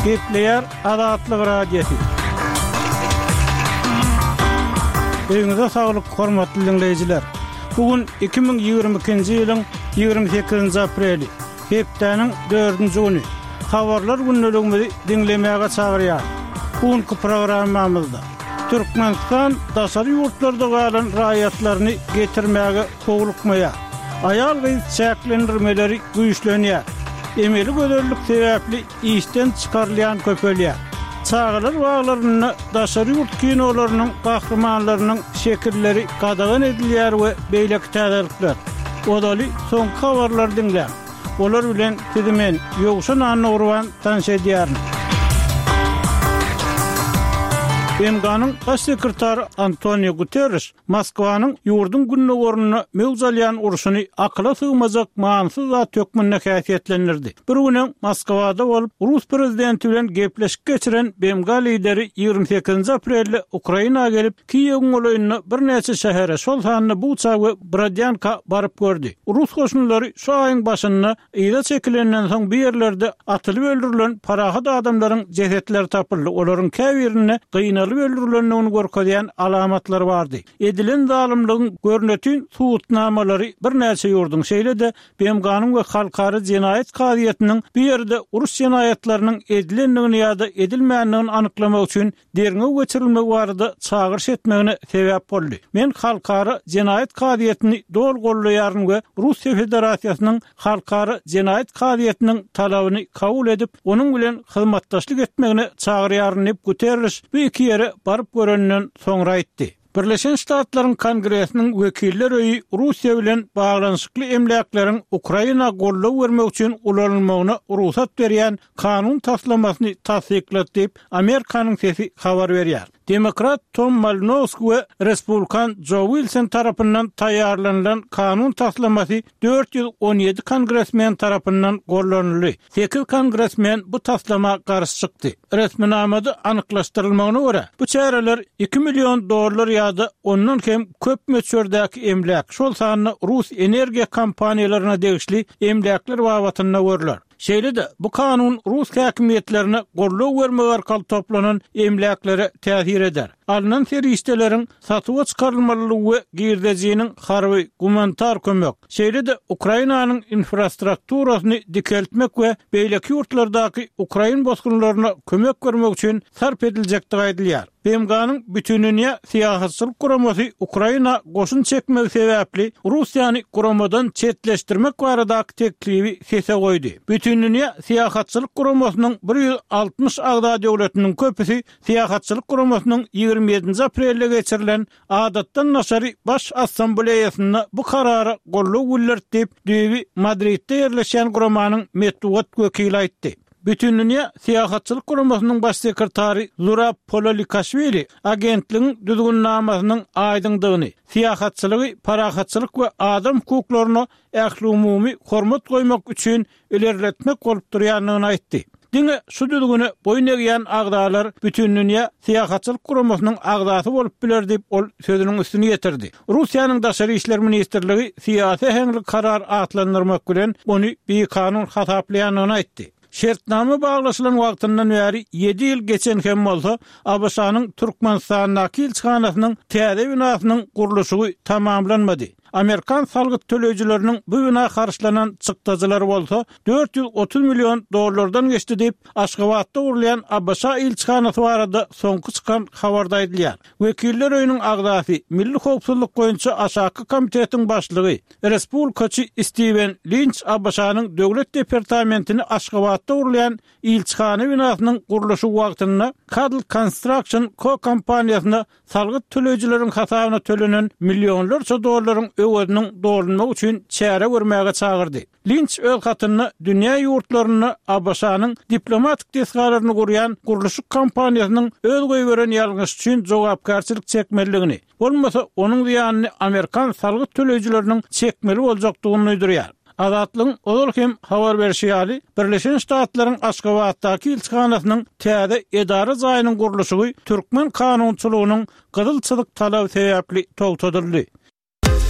Gepleýär Azatlyk Radiosy. Öýüňize saglyk, hormatly diňleýjiler! Bu gün 2022-nji ýylyň 28-nji apreli, hepdäniň dördünji güni. Habarlar gündeligimizi diňlemäge çagyrýarys. Bu günki programmamyzda Türkmenistan daşary ýurtlarda galan raýatlaryny getirmäge howlukmaýar. Aýal-gyz çäklendirmeleri güýçlenýär. Emeli gözellik sebäpli işden çykarylýan köpelýär. Çagalar baglarynda daşary ýurt kinolarynyň gahrymanlarynyň şekilleri gadagan edilýär we beýleki täzelikler. Ozaly soňky habarlary diňläň. Olar bilen sizi men, Ýowşan Annagurban tanyş edýärin. BMG-niň Baş sekretary Antonio Guterriş Moskwanyň ýurduň gündogarynda möwç alýan urşuny akyla sygmajak manysyz zat hökmünde häsiýetlendirdi. Bir gün öň Moskwada bolup, rus prezidenti bilen gepleşik geçiren BMG lideri 28-nji aprelde Ukraina gelip, Kiýewiň golaýynda birnäçe şähere, şol sanda Buça we Brodýanka baryp gördi. Rus goşunlary şu aýyň başynda yza çekilenden soň bu ýerlerde atylyp öldürilen parahat adamlaryň jesetleri tapyldy, olaryň käbirinde gynalyp öldürilendigini görkezýän alamatlar bardy. Edilen zalymlygyň görnetin subutnamalary birnäçe ýurduň, şeýle-de BMG-niň we Halkara jenaýat kazyýetiniň bu ýerde uruş jenaýatlarynyň edilendigini ýa-da edilmändigini anyklamak üçin derňew geçirilmegi barada çagyryş etmegine sebäp boldy. Men Halkara jenaýat kazyýetini doly goldaýaryn we Russiýa Federasiýasynyň Halkara jenaýat kazyýetiniň talabyny kabul edip, onuň bilen hyzmatdaşlyk etmegine çagyrýaryn diýip, Guterriş bu iki ýere baryp göreninden soňra aýtdy. Birleşen Ştatlaryň Kongresiniň Wekiller öýi Russiýa bilen baglanyşykly emläkleriň Ukraina goldaw bermek üçin ulanylmagyna rugsat berýän kanun taslamasyny tassyklady diýip, Amerikanyň sesi habar berýär. Demokrat Tom Malinowski we respublikan Jo Wilson tarapyndan taýýarlanylan kanun taslamasy 417 kongresmen tarapyndan gollanyldy. Sekiz kongresmen bu taslama garşy çykdy. Resminamada anyklaşdyrylmagyna görä, bu çäreler iki million dollar ýa-da ondan hem köp möçberdäki emläk, şol sanda rus energiýa kompaniýalaryna degişli emläkler babatynda görler. Şeýle-de, bu kanun rus häkimiýetlerine goldaw bermek arkaly toplanan emläklere täsir eder. Alnan serişdeleriň satuwa çykarylmalydygy we girdejiniň harby, gumanitar kömek, şeýle-de Ukrainanyň infrastrukturasyny dikeltmek we beýleki ýurtlardaky ukrain bosgunlaryna kömek bermek üçin sarp ediljekdigi aýdylýar. BMG-niň Bütindünýä syýahatçylyk guramasy Ukraina goşun çekmegi sebäpli Russiýany guramadan çetleşdirmek baradaky teklibi sese goýdy. Bütindünýä syýahatçylyk guramasynyň 160 agza döwletiniň köpüsi Syýahatçylyk guramasynyň 27-nji aprelde geçirilen Adatdan daşary Baş Assambleýasynda bu karara goldaw bildirdi diýip, düýbi Madridde ýerleşýän guramanyň metbugat wekili aýtdy. Bütindünýä Syýahatçylyk Guramasynyň Baş sekretary Zurab Pololikashwili agentligiň düzgünnamasynyň aýdyňdygyny, syýahatçylygy parahatçylyk we adam hukuklaryna ählumumy hormat goýmak üçin ilerletmek bolup durýandygyny aýtdy. Diňe şu düzgüne boýun egýän agzalar Bütindünýä Syýahatçylyk Guramasynyň agzasy bolup biler diýip, ol sözüniň üstüni ýetirdi. Russiýanyň Daşary işler ministrligi syýasy äheňli karar atlandyrmak bilen, ony bikanun hasaplaýandygyny aýtdy. Şertnama baglaşylan wagtyndan bäri ýedi ýyl geçen hem bolsa, ABŞ-nyň Türkmenistandaky ilçihanasynyň täze binasynyň gurluşygy tamamlanmady. Amerikan salgyt töleýjileriniň bu bina harçlanan çykdajylary bolsa 430 million dollardan geçdi diýip, Aşgabatda gurulýan ABŞ ilçihanasy barada soňky çykan habarda aýdylýar. Wekiller öýüniň agzasy, Milli howpsuzlyk boýunça aşaky komitetiň başlygy, respublikaçy Stiwen Linç ABŞ-nyň Döwlet departamentini Aşgabatda gurulýan ilçihana binasynyň gurluşygy wagtynda Cadle Construction Co kompaniýasyna salgyt töleýjileriň hasabyna tölenen millionlarça dollaryň öweziniň dolunmagy üçin çäre görmäge çagyrdy. Linç öz hatynda dünýä ýurtlarynda ABŞ-nyň diplomatik desgalaryny gurýan gurluşyk kompaniýasynyň öz goýberen ýalňyşy üçin jogapkärçilik çekmelidigini, bolmasa onuň zyýanyny amerikan salgyt töleýjileriniň çekmeli boljakdygyny duýdurýar. Azatlygyň ozal hem habar berşi ýaly, Birleşen Ştatlaryň Aşgabatdaky ilçihanasynyň täze edara jaýynyň gurluşygy türkmen kanunçylygynyň gyzyl çyzyk talaby sebäpli togtadyldy.